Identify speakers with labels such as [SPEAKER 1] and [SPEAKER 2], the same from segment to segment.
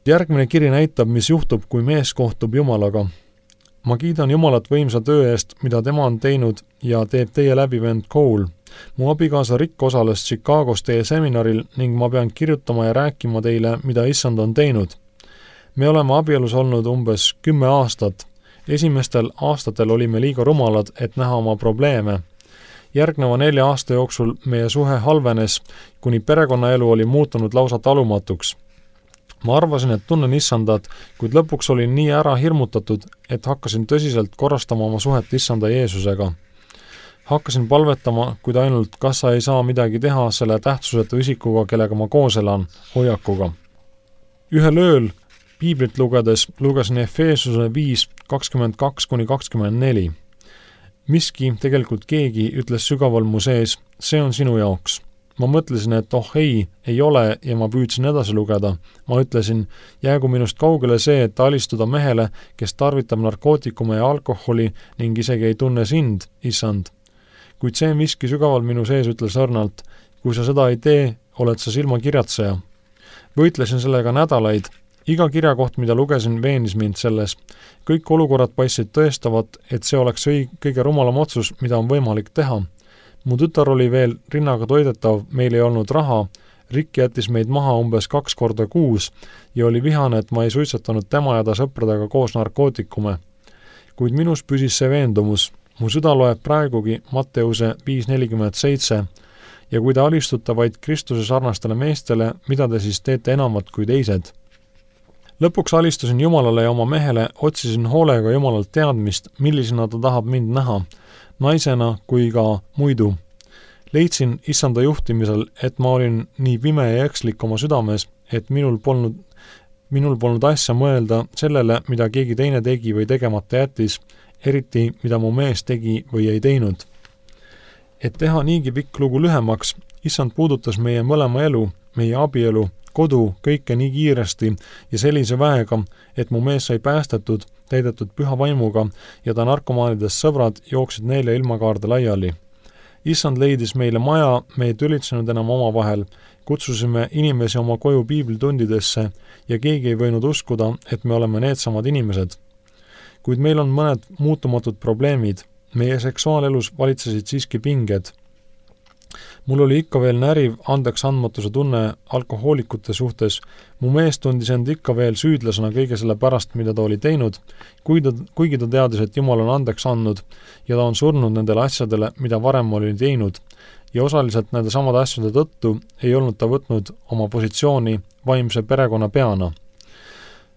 [SPEAKER 1] Järgmine kiri näitab, mis juhtub, kui mees kohtub Jumalaga. Ma kiidan Jumalat võimsa töö eest, mida tema on teinud ja teeb teie läbi vend Cole. Mu abikaasa Rick osales Chicagos teie seminaril ning ma pean kirjutama ja rääkima teile, mida issand on teinud. Me oleme abielus olnud umbes 10 aastat. Esimestel aastatel olime liiga rumalad, et näha oma probleeme. Järgneva 4 aasta jooksul meie suhe halvenes, kuni perekonnaelu oli muutunud lausa talumatuks. Ma arvasin, et tunnen issandat, kuid lõpuks olin nii ära hirmutatud, et hakkasin tõsiselt korrastama oma suhet issanda Jeesusega. Hakkasin palvetama, kuid ainult kas sa ei saa midagi teha selle tähtsusetu isikuga, kellega ma koos elan, hoiakuga. Ühel ööl piiblit lugedes lugesin Efeesuse 5:22-24. Miski, tegelikult keegi, ütles sügaval mu sees, see on sinu jaoks. Ma mõtlesin, et ei ole ja ma püüdsin edasi lugeda. Ma ütlesin, jäägu minust kaugele see, et alistuda mehele, kes tarvitab narkootikume ja alkoholi ning isegi ei tunne sind, issand. Kuid see miski sügaval minu sees ütles õrnalt, kui sa seda ei tee, oled sa silmakirjatseja. Võitlesin sellega nädalaid. Iga kirjakoht, mida lugesin, veenis mind selles. Kõik olukorrad paistsid tõestavat, et see oleks kõige rumalam otsus, mida on võimalik teha. Mu tütar oli veel rinnaga toidetav, meil ei olnud raha, Rick jättis meid maha umbes 2 korda kuus ja oli vihane, et ma ei suitsetanud tema ja ta sõpradega koos narkootikume. Kuid minus püsis see veendumus. Mu süda loeb praegugi Matteuse 5:47 ja kui te alistute vaid Kristuse sarnastele meestele, mida te siis teete enamat kui teised? Lõpuks alistusin Jumalale ja oma mehele, otsisin hoolega Jumalalt teadmist, millisena ta tahab mind näha, naisena kui ka muidu. Leidsin issanda juhtimisel, et ma olin nii pime ja ekslik oma südames, et minul polnud asja mõelda sellele, mida keegi teine tegi või tegemata jättis, eriti mida mu mees tegi või ei teinud. Et teha niigi pikk lugu lühemaks, issand puudutas meie mõlema elu, meie abielu, kodu, kõike nii kiiresti ja sellise väega, et mu mees sai päästetud, täidetud püha vaimuga ja ta narkomaanidest sõbrad jooksid neile ilmakaarde laiali. Issand leidis meile maja, me ei tülitsenud enam omavahel, kutsusime inimesi oma koju piiblitundidesse ja keegi ei võinud uskuda, et me oleme needsamad inimesed. Kuid meil on mõned muutumatud probleemid. Meie seksuaalelus valitsesid siiski pinged. Mul oli ikka veel näriv andeks andmatuse tunne alkohoolikute suhtes. Mu mees tundis end ikka veel süüdlasena kõige selle pärast, mida ta oli teinud, kuigi ta teadis, et Jumal on andeks andnud ja ta on surnud nendele asjadele, mida varem oli teinud. Ja osaliselt nende samade asjade tõttu ei olnud ta võtnud oma positsiooni vaimse perekonna peana.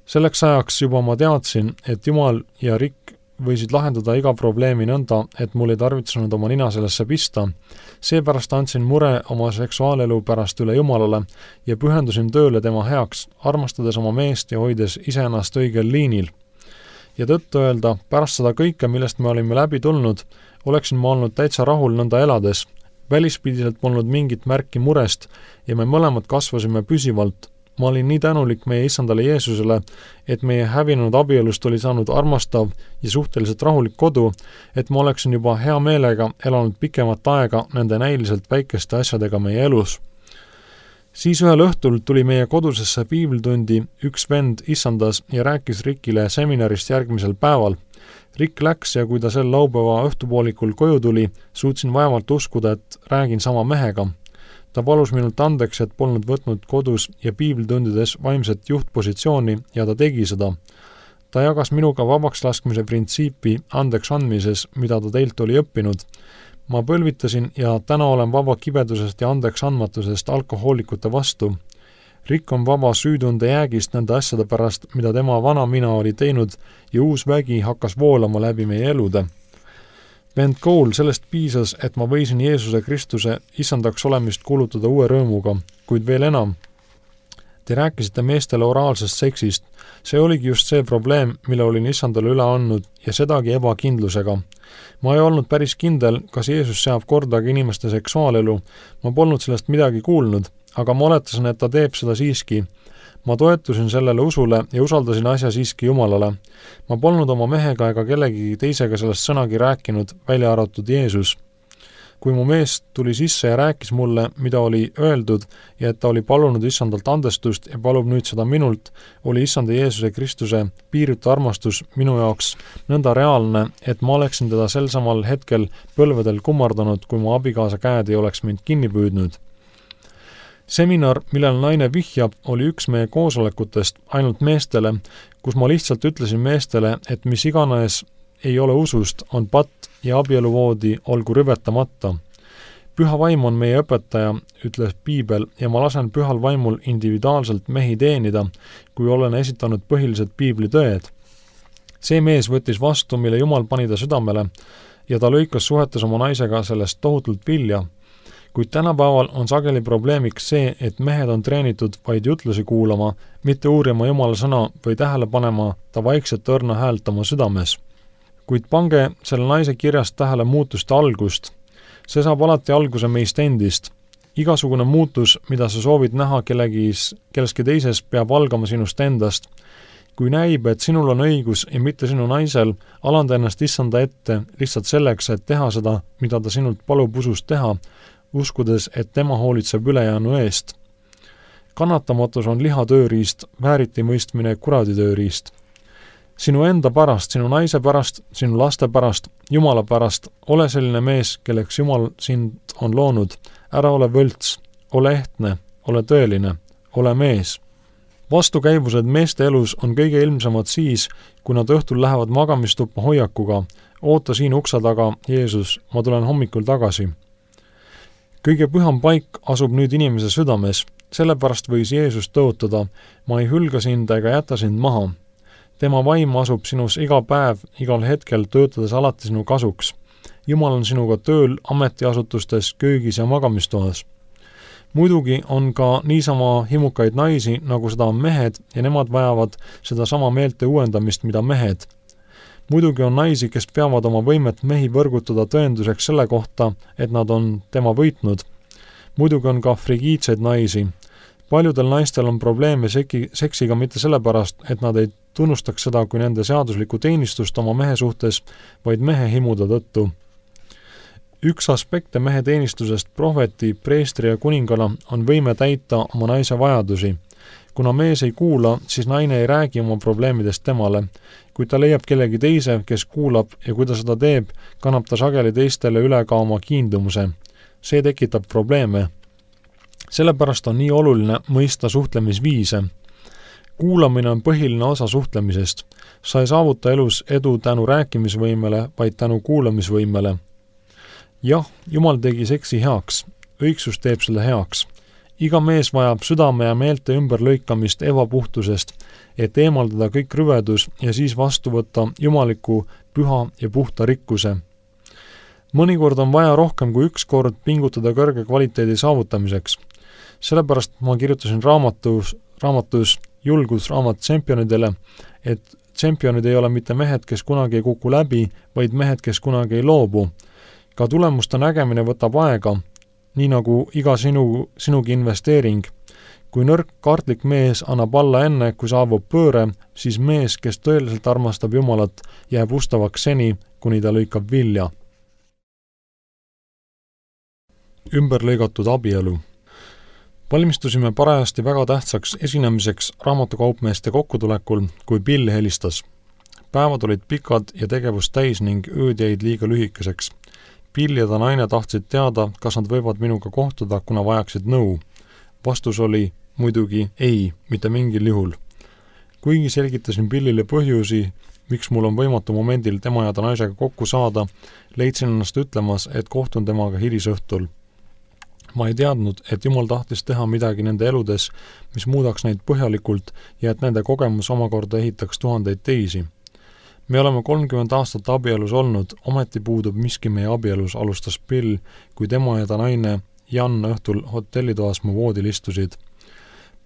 [SPEAKER 1] Selleks ajaks juba ma teadsin, et Jumal ja Rick võisid lahendada iga probleemi nõnda, et mul ei tarvitsenud oma nina sellesse pista. Seepärast andsin mure oma seksuaalelu pärast üle Jumalale ja pühendusin tööle tema heaks, armastades oma meest ja hoides iseennast õigel liinil. Ja tõttu öelda, pärast seda kõike, millest me olime läbi tulnud, oleksin ma olnud täitsa rahul nõnda elades. Välispidiselt polnud mingit märki murest ja me mõlemad kasvasime püsivalt. Ma olin nii tänulik meie issandale Jeesusele, et meie hävinud abielust oli saanud armastav ja suhteliselt rahulik kodu, et ma oleksin juba hea meelega elanud pikemat aega nende näiliselt väikeste asjadega meie elus. Siis ühel õhtul tuli meie kodusesse piiblitundi üks vend issandas ja rääkis Rickile seminarist järgmisel päeval. Rick läks ja kui ta sel laupäeva õhtupoolikul koju tuli, suutsin vaevalt uskuda, et räägin sama mehega. Ta palus minult andeks, et polnud võtnud kodus ja piiblitundides vaimset juhtpositsiooni ja ta tegi seda. Ta jagas minuga vabaks laskmise printsiipi andeks andmises, mida ta teilt oli õppinud. Ma põlvitasin ja täna olen vaba kibedusest ja andeks andmatusest alkohoolikute vastu. Rick on vaba süütunde jäägist nende asjade pärast, mida tema vana mina oli teinud ja uus vägi hakkas voolama läbi meie elude. Vend Cole, sellest piisas, et ma võisin Jeesuse Kristuse issandaks olemist kuulutada uue rõõmuga, kuid veel enam. Te rääkisite meestele oraalsest seksist. See oligi just see probleem, mille olin issandale üle andnud ja sedagi ebakindlusega. Ma ei olnud päris kindel, kas Jeesus seab kordagi inimeste seksuaalelu. Ma polnud sellest midagi kuulnud, aga ma oletasin, et ta teeb seda siiski. Ma toetusin sellele usule ja usaldasin asja siiski Jumalale. Ma polnud oma mehega ega kellegi teisega sellest sõnagi rääkinud, välja arvatud Jeesus. kui mu mees tuli sisse ja rääkis mulle, mida oli öeldud ja et ta oli palunud issandalt andestust ja palub nüüd seda minult, oli issanda Jeesuse Kristuse piiritu armastus minu jaoks nõnda reaalne, et ma oleksin teda sel samal hetkel põlvedel kummardanud, kui mu abikaasa käed ei oleks mind kinni püüdnud. Seminar, millel naine vihjab, oli üks meie koosolekutest ainult meestele, kus ma lihtsalt ütlesin meestele, et mis iganes ei ole usust, on patt ja abieluvoodi olgu rüvetamata. Püha vaim on meie õpetaja, ütles Piibel, ja ma lasen pühal vaimul individuaalselt mehi teenida, kui olen esitanud põhilised piiblitõed. See mees võttis vastu, mille Jumal pani ta südamele, ja ta lõikas suhetes oma naisega sellest tohutult vilja. Kuid tänapäeval on sageli probleemiks see, et mehed on treenitud vaid jutlusi kuulama, mitte uurima Jumala sõna või tähele panema ta vaikset õrna häält oma südames. Kuid pange selle naise kirjast tähele muutuste algust. See saab alati alguse meist endist. Igasugune muutus, mida sa soovid näha kelleski teises, peab algama sinust endast. Kui näib, et sinul on õigus ja mitte sinu naisel, alanda ennast issanda ette lihtsalt selleks, et teha seda, mida ta sinult palub usust teha, uskudes, et tema hoolitseb ülejäänu eest. Kannatamatus on liha tööriist, vääriti mõistmine kuradi tööriist. Sinu enda pärast, sinu naise pärast, sinu laste pärast, Jumala pärast, ole selline mees, kelleks Jumal sind on loonud. Ära ole võlts, ole ehtne, ole tõeline, ole mees. Vastukäivused meeste elus on kõige ilmsemad siis, kui nad õhtul lähevad magamistuppa hoiakuga. Oota siin ukse taga, Jeesus, ma tulen hommikul tagasi. Kõige püham paik asub nüüd inimese südames, sellepärast võis Jeesus tõotada, ma ei hülga sind ega jäta sind maha. Tema vaim asub sinus iga päev, igal hetkel töötades alati sinu kasuks. Jumal on sinuga tööl, ametiasutustes, köögis ja magamistoas. Muidugi on ka niisama himukaid naisi, nagu seda on mehed, ja nemad vajavad seda sama meelte uuendamist, mida mehed. Muidugi on naisi, kes peavad oma võimet mehi võrgutada tõenduseks selle kohta, et nad on tema võitnud. Muidugi on ka frigiidseid naisi. Paljudel naistel on probleeme seksiga mitte sellepärast, et nad ei tunnustaks seda kui nende seaduslikku teenistust oma mehe suhtes, vaid mehe himude tõttu. Üks aspekte mehe teenistusest prohveti, preestri ja kuningana on võime täita oma naise vajadusi. Kuna mees ei kuula, siis naine ei räägi oma probleemidest temale. Kui ta leiab kellegi teise, kes kuulab ja kui ta seda teeb, kannab ta sageli teistele üle ka oma kiindumuse. See tekitab probleeme. Sellepärast on nii oluline mõista suhtlemisviise. Kuulamine on põhiline osa suhtlemisest. Sa ei saavuta elus edu tänu rääkimisvõimele, vaid tänu kuulamisvõimele. Jah, Jumal tegi seksi heaks. Õigsus teeb selle heaks. Iga mees vajab südame ja meelte ümberlõikamist ebapuhtusest, et eemaldada kõik rüvedus ja siis vastu võtta jumaliku, püha ja puhta rikkuse. Mõnikord on vaja rohkem kui üks kord pingutada kõrge kvaliteedi saavutamiseks. Sellepärast ma kirjutasin raamatus julgusraamat tšempionidele, et tšempionid ei ole mitte mehed, kes kunagi ei kuku läbi, vaid mehed, kes kunagi ei loobu. Ka tulemuste nägemine võtab aega, nii nagu iga sinugi investeering. Kui nõrk kartlik mees annab alla enne, kui saabub pööre, siis mees, kes tõeliselt armastab Jumalat, jääb ustavaks seni, kuni ta lõikab vilja. Ümberlõigatud abielu. Valmistusime parajasti väga tähtsaks esinemiseks raamatukaupmeeste kokkutulekul, kui Bill helistas. Päevad olid pikad ja tegevust täis ning ööd jäid liiga lühikeseks. Bill ja ta naine tahtsid teada, kas nad võivad minuga kohtuda, kuna vajaksid nõu. Vastus oli muidugi ei, mitte mingil juhul. Kuigi selgitasin Billile põhjusi, miks mul on võimatu momendil tema ja ta naisega kokku saada, leidsin ennast ütlemas, et kohtun temaga hilisõhtul. Ma ei teadnud, et Jumal tahtis teha midagi nende eludes, mis muudaks neid põhjalikult ja et nende kogemus omakorda ehitaks tuhandeid teisi. Me oleme 30 aastat abielus olnud, ometi puudub miski meie abielus, alustas Bill, kui tema ja ta naine Jan õhtul hotellitoas mu voodil istusid.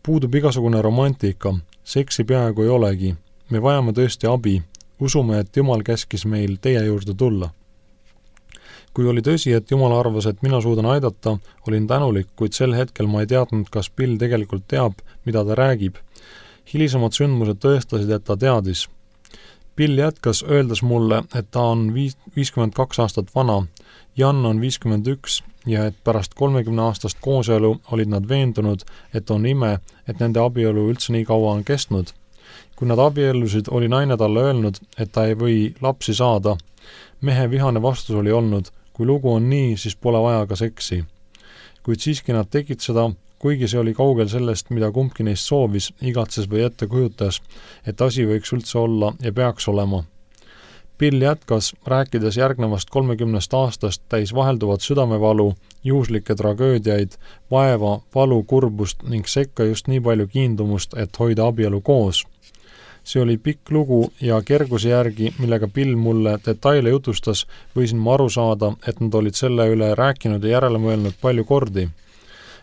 [SPEAKER 1] Puudub igasugune romantika, seksi peaaegu ei olegi. Me vajame tõesti abi. Usume, et Jumal käskis meil teie juurde tulla. Kui oli tõsi, et Jumal arvas, et mina suudan aidata, olin tänulik, kuid sel hetkel ma ei teadnud, kas Bill tegelikult teab, mida ta räägib. Hilisemad sündmused tõestasid, et ta teadis. Bill jätkas, öeldes mulle, et ta on 52 aastat vana, Jan on 51 ja et pärast 30 aastast kooselu olid nad veendunud, et on ime, et nende abielu üldse nii kaua on kestnud. Kui nad abiellusid, oli naine talle öelnud, et ta ei või lapsi saada. Mehe vihane vastus oli olnud, kui lugu on nii, siis pole vaja ka seksi. Kuid siiski nad tegid seda, kuigi see oli kaugel sellest, mida kumbki neist soovis, igatses või ette kujutas, et asi võiks üldse olla ja peaks olema. Bill jätkas, rääkides järgnevast 30 aastast täis vahelduvat südamevalu, juhuslikke tragöödiaid, vaeva, valu, kurbust ning sekka just nii palju kiindumust, et hoida abielu koos. See oli pikk lugu ja kerguse järgi, millega Bill mulle detaile jutustas, võisin ma aru saada, et nad olid selle üle rääkinud ja järele mõelnud palju kordi.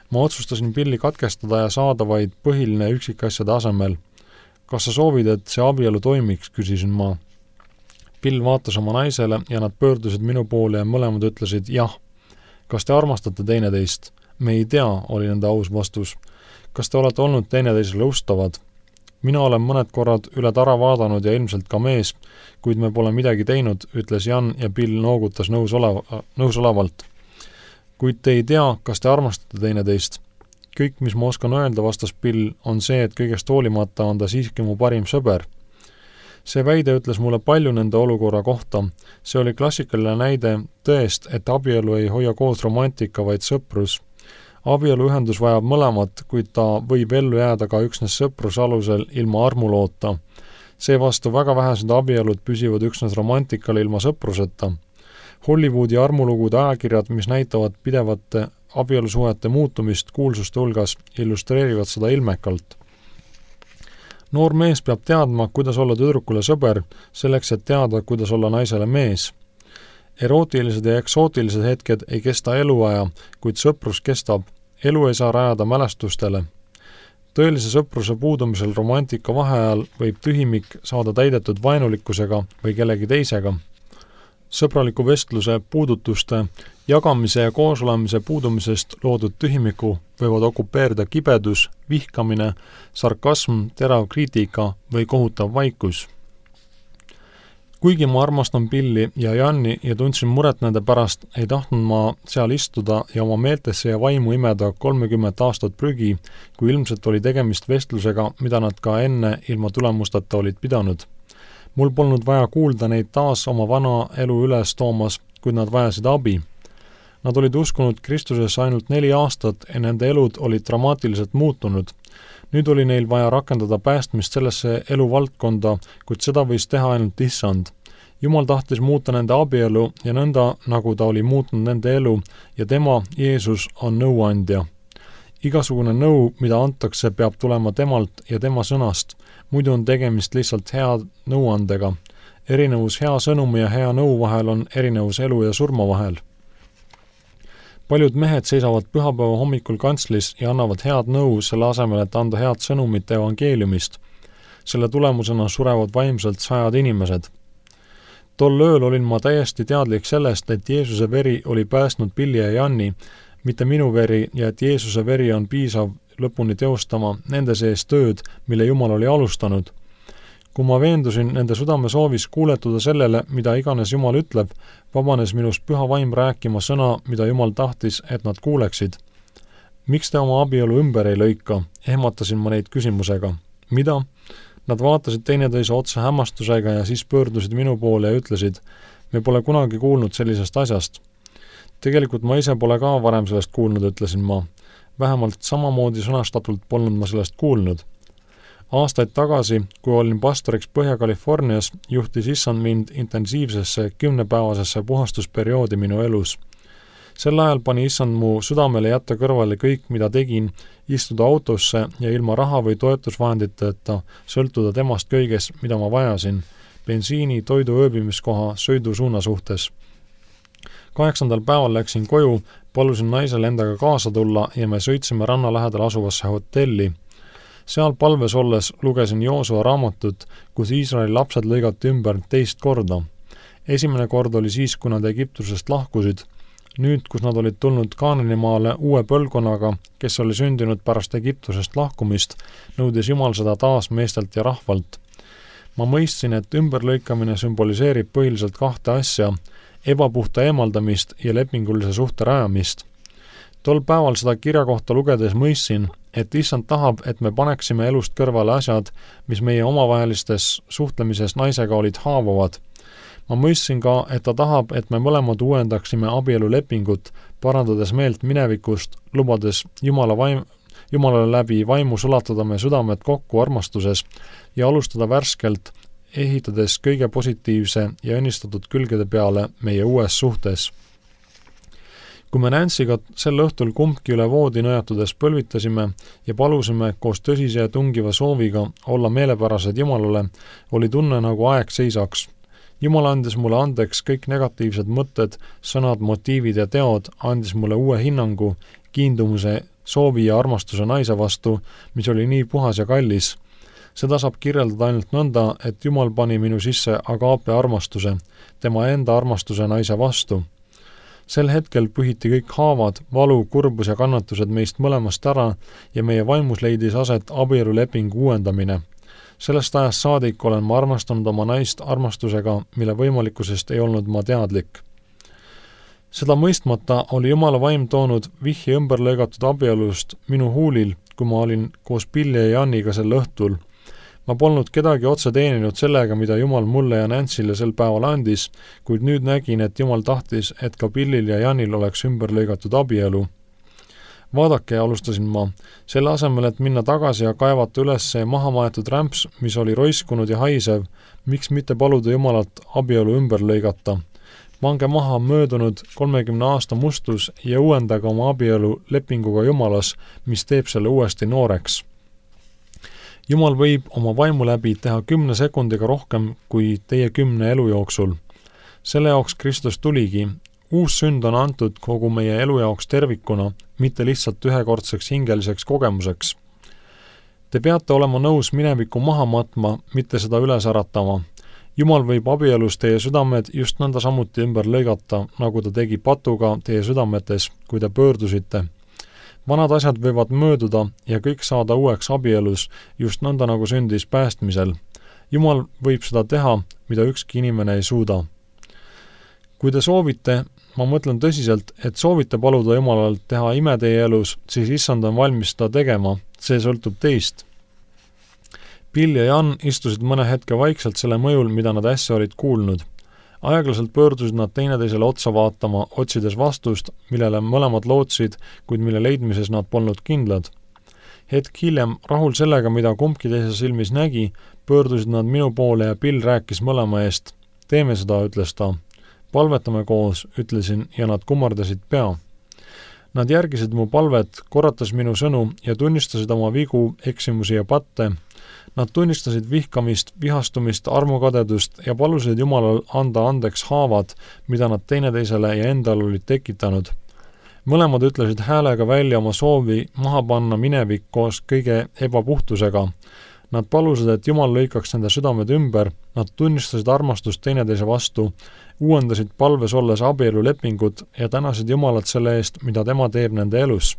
[SPEAKER 1] Ma otsustasin Billi katkestada ja saada vaid põhiline üksikasjade asemel. Kas sa soovid, et see abielu toimiks, küsisin ma. Bill vaatas oma naisele ja nad pöördusid minu poole ja mõlemad ütlesid jah. Kas te armastate teineteist? Me ei tea, oli nende aus vastus. Kas te olete olnud teineteisele ustavad? Mina olen mõned korrad üle tara vaadanud ja ilmselt ka mees, kuid me pole midagi teinud, ütles Jan ja Bill noogutas nõusolevalt. Kuid te ei tea, kas te armastate teineteist. Kõik, mis ma oskan öelda, vastas Bill, on see, et kõigest hoolimata on ta siiski mu parim sõber. See väide ütles mulle palju nende olukorra kohta. See oli klassikaline näide tõest, et abielu ei hoia koos romantika, vaid sõprus. Abieluühendus vajab mõlemat, kuid ta võib ellu jääda ka üksnes sõpruse alusel ilma armuloota. Seevastu väga vähesed abielud püsivad üksnes romantikal ilma sõpruseta. Hollywoodi armulugude ajakirjad, mis näitavad pidevate abielusuhete muutumist kuulsuste hulgas, illustreerivad seda ilmekalt. Noor mees peab teadma, kuidas olla tüdrukule sõber, selleks et teada, kuidas olla naisele mees. Erootilised ja eksootilised hetked ei kesta eluaja, kuid sõprus kestab. Elu ei saa rajada mälestustele. Tõelise sõpruse puudumisel romantika vaheajal võib tühimik saada täidetud vaenulikkusega või kellegi teisega. Sõbraliku vestluse, puudutuste, jagamise ja koosolemise puudumisest loodud tühimiku võivad okupeerida kibedus, vihkamine, sarkasm, terav kriitika või kohutav vaikus. Kuigi ma armastan Billi ja Janni ja tundsin muret nende pärast, ei tahtnud ma seal istuda ja oma meeltesse ja vaimu imeda 30 aastat prügi, kui ilmselt oli tegemist vestlusega, mida nad ka enne ilma tulemusteta olid pidanud. Mul polnud vaja kuulda neid taas oma vana elu üles toomas, kuid nad vajasid abi. Nad olid uskunud Kristusesse ainult 4 aastat ja nende elud olid dramaatiliselt muutunud. Nüüd oli neil vaja rakendada päästmist sellesse eluvaldkonda, kuid seda võis teha ainult Issand. Jumal tahtis muuta nende abielu ja nõnda, nagu ta oli muutnud nende elu ja tema, Jeesus, on nõuandja. Igasugune nõu, mida antakse, peab tulema temalt ja tema sõnast. Muidu on tegemist lihtsalt hea nõuandega. Erinevus hea sõnumi ja hea nõu vahel on erinevus elu ja surma vahel. Paljud mehed seisavad pühapäeva hommikul kantslis ja annavad head nõu selle asemel, et anda head sõnumit evangeeliumist. Selle tulemusena surevad vaimselt 100 inimesed. Tol ööl olin ma täiesti teadlik sellest, et Jeesuse veri oli päästnud Billi ja Janni, mitte minu veri ja et Jeesuse veri on piisav lõpuni teostama nende sees tööd, mille Jumal oli alustanud. Kui ma veendusin nende südame soovis kuuletuda sellele, mida iganes Jumal ütleb, vabanes minust püha vaim rääkima sõna, mida Jumal tahtis, et nad kuuleksid. Miks te oma abielu ümber ei lõika? Ehmatasin ma neid küsimusega. Mida? Nad vaatasid teineteise otsa hämmastusega ja siis pöördusid minu poole ja ütlesid, me pole kunagi kuulnud sellisest asjast. Tegelikult ma ise pole ka varem sellest kuulnud, ütlesin ma. Vähemalt samamoodi sõnastatult polnud ma sellest kuulnud. Aastaid tagasi, kui olin pastoriks Põhja-Californias, juhtis Issand mind intensiivsesse 10-päevasesse puhastusperioodi minu elus. Sel ajal pani Issand mu südamele jätta kõrvale kõik, mida tegin, istuda autosse ja ilma raha või toetusvahenditeta sõltuda temast kõiges, mida ma vajasin, bensiini, toidu, ööbimiskoha, sõidu suuna suhtes. 8. päeval läksin koju, palusin naisel endaga kaasa tulla ja me sõitsime ranna lähedal asuvasse hotelli. Seal palves olles lugesin Joosua raamatut, kus Iisraeli lapsed lõigati ümber 2 korda. Esimene kord oli siis, kui nad Egiptusest lahkusid. Nüüd, kus nad olid tulnud Kaananimaale uue põlvkonnaga, kes oli sündinud pärast Egiptusest lahkumist, nõudis Jumal seda taas meestelt ja rahvalt. Ma mõistsin, et ümberlõikamine sümboliseerib põhiliselt kahte asja, ebapuhta eemaldamist ja lepingulise suhte rajamist. Tol päeval seda kirja kohta lugedes mõistsin, et Issand tahab, et me paneksime elust kõrvale asjad, mis meie omavahelistes suhtlemises naisega olid haavavad. Ma mõistsin ka, et ta tahab, et me mõlemad uuendaksime abielulepingut, parandades meelt minevikust, lubades Jumalale läbi vaimu sulatada me südamed kokku armastuses ja alustada värskelt, ehitades kõige positiivse ja õnnistatud külgede peale meie uues suhtes. Kui me Nancyga sel õhtul kumbki üle voodi nõjatudes põlvitasime ja palusime koos tõsise ja tungiva sooviga olla meelepärased Jumalale, oli tunne nagu aeg seisaks. Jumal andis mulle andeks kõik negatiivsed mõtted, sõnad, motiivid ja teod, andis mulle uue hinnangu, kiindumuse, soovi ja armastuse naise vastu, mis oli nii puhas ja kallis. Seda saab kirjeldada ainult nõnda, et Jumal pani minu sisse agaape armastuse, tema enda armastuse naise vastu. Sel hetkel pühiti kõik haavad, valu, kurbus ja kannatused meist mõlemast ära ja meie vaimus leidis aset abielulepingu uuendamine. Sellest ajast saadik olen ma armastanud oma naist armastusega, mille võimalikkusest ei olnud ma teadlik. Seda mõistmata oli Jumala vaim toonud vihje ümberlõigatud abielust minu huulil, kui ma olin koos Billy ja Janiga sel õhtul. Ma polnud kedagi otse teeninud sellega, mida Jumal mulle ja Nancy'le sel päeval andis, kuid nüüd nägin, et Jumal tahtis, et ka Billil ja Janil oleks ümberlõigatud abielu. Vaadake, alustasin ma, selle asemel, et minna tagasi ja kaevata üles see mahamaetud rämps, mis oli roiskunud ja haisev, miks mitte paluda Jumalalt abielu ümber lõigata. Pange maha möödunud 30 aasta mustus ja uuendaga oma abielu lepinguga Jumalas, mis teeb selle uuesti nooreks. Jumal võib oma vaimu läbi teha 10 sekundiga rohkem kui teie 10 elu jooksul. Selle jaoks Kristus tuligi. Uus sünd on antud kogu meie elu jaoks tervikuna, mitte lihtsalt ühekordseks hingeliseks kogemuseks. Te peate olema nõus minevikku maha matma, mitte seda üles äratama. Jumal võib abielus teie südamed just nõnda samuti ümber lõigata, nagu ta tegi patuga teie südametes, kui te pöördusite. Vanad asjad võivad mööduda ja kõik saada uueks abielus, just nõnda nagu sündis päästmisel. Jumal võib seda teha, mida ükski inimene ei suuda. Kui te soovite, ma mõtlen tõsiselt, et soovite paluda Jumalalt teha ime teie elus, siis Issand on valmis seda tegema, see sõltub teist. Bill ja Jan istusid mõne hetke vaikselt selle mõjul, mida nad äsja olid kuulnud. Aeglaselt pöördusid nad teineteisele otsa vaatama, otsides vastust, millele mõlemad lootsid, kuid mille leidmises nad polnud kindlad. Hetk hiljem, rahul sellega, mida kumbki teise silmis nägi, pöördusid nad minu poole ja Bill rääkis mõlema eest. Teeme seda, ütles ta. Palvetame koos, ütlesin, ja nad kummardasid pea. Nad järgisid mu palvet, korratas minu sõnu ja tunnistasid oma vigu, eksimusi ja patte. Nad tunnistasid vihkamist, vihastumist, armukadedust ja palusid Jumalal anda andeks haavad, mida nad teineteisele ja endal olid tekitanud. Mõlemad ütlesid häälega välja oma soovi maha panna minevik koos kõige ebapuhtusega. Nad palusid, et Jumal lõikaks nende südamed ümber, nad tunnistasid armastust teineteise vastu, uuendasid palves olles abielulepingut ja tänasid Jumalat selle eest, mida tema teeb nende elus.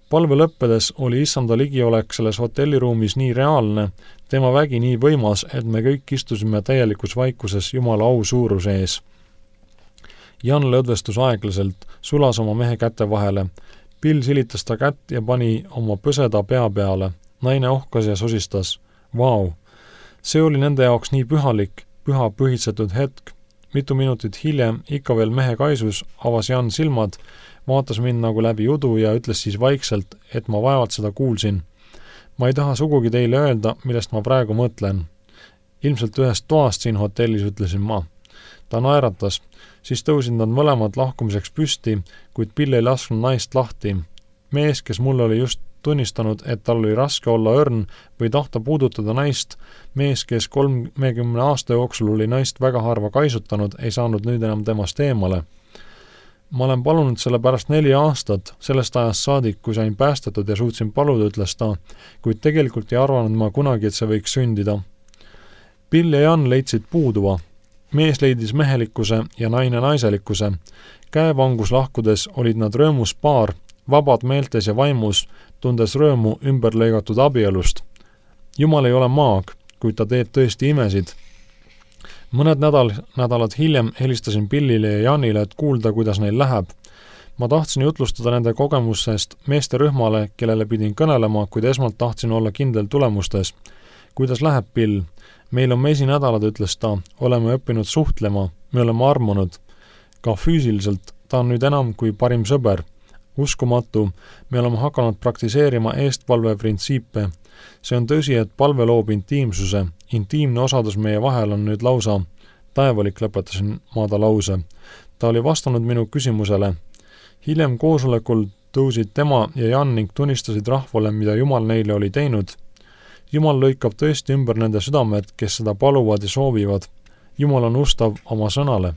[SPEAKER 1] Palve lõppedes oli Issanda ligiolek selles hotelliruumis nii reaalne, tema vägi nii võimas, et me kõik istusime täielikus vaikuses Jumala au suuruse ees. Jan lõdvestus aeglaselt, sulas oma mehe käte vahele. Bill silitas ta kätt ja pani oma põseda pea peale. Naine ohkas ja sosistas. Vau! See oli nende jaoks nii pühalik, püha põhitsetud hetk. Mitu minutit hiljem, ikka veel mehe kaisus, avas Jan silmad, vaatas mind nagu läbi udu ja ütles siis vaikselt, et ma vaevalt seda kuulsin. Ma ei taha sugugi teile öelda, millest ma praegu mõtlen. Ilmselt ühest toast siin hotellis, ütlesin ma. Ta naeratas, siis tõusid nad mõlemad lahkumiseks püsti, kuid Bill ei lasknud naist lahti. Mees, kes mulle oli just tunnistanud, et tal oli raske olla õrn või tahta puudutada naist, mees, kes 30 aasta jooksul oli naist väga harva kaisutanud, ei saanud nüüd enam temast eemale. Ma olen palunud selle pärast 4 aastat, sellest ajast saadik, kui sain päästetud ja suutsin paluda, ütles ta, kuid tegelikult ei arvanud ma kunagi, et see võiks sündida. Bill ja Jan leidsid puuduva. Mees leidis mehelikkuse ja naine naiselikkuse. Käevangus lahkudes olid nad rõõmus paar, vabad meeltes ja vaimus, tundes rõõmu ümberlõigatud abielust. Jumal ei ole maag, kuid ta teeb tõesti imesid. Mõned nädalad hiljem helistasin Billile ja Janile, et kuulda, kuidas neil läheb. Ma tahtsin jutlustada nende kogemusest meesterühmale, kellele pidin kõnelema, kuid esmalt tahtsin olla kindel tulemustes. Kuidas läheb, Bill? Meil on mesinädalad, ütles ta. Oleme õppinud suhtlema, me oleme armunud. Ka füüsiliselt, ta on nüüd enam kui parim sõber. Uskumatu, me oleme hakanud praktiseerima eestpalve printsiipe. See on tõsi, et palve loob intiimsuse. Intiimne osadus meie vahel on nüüd lausa. Taevalik, lõpetasin ma ta lause. Ta oli vastanud minu küsimusele. Hiljem koosolekul tõusid tema ja Jan ning tunnistasid rahvale, mida Jumal neile oli teinud. Jumal lõikab tõesti ümber nende südamed, kes seda paluvad ja soovivad. Jumal on ustav oma sõnale.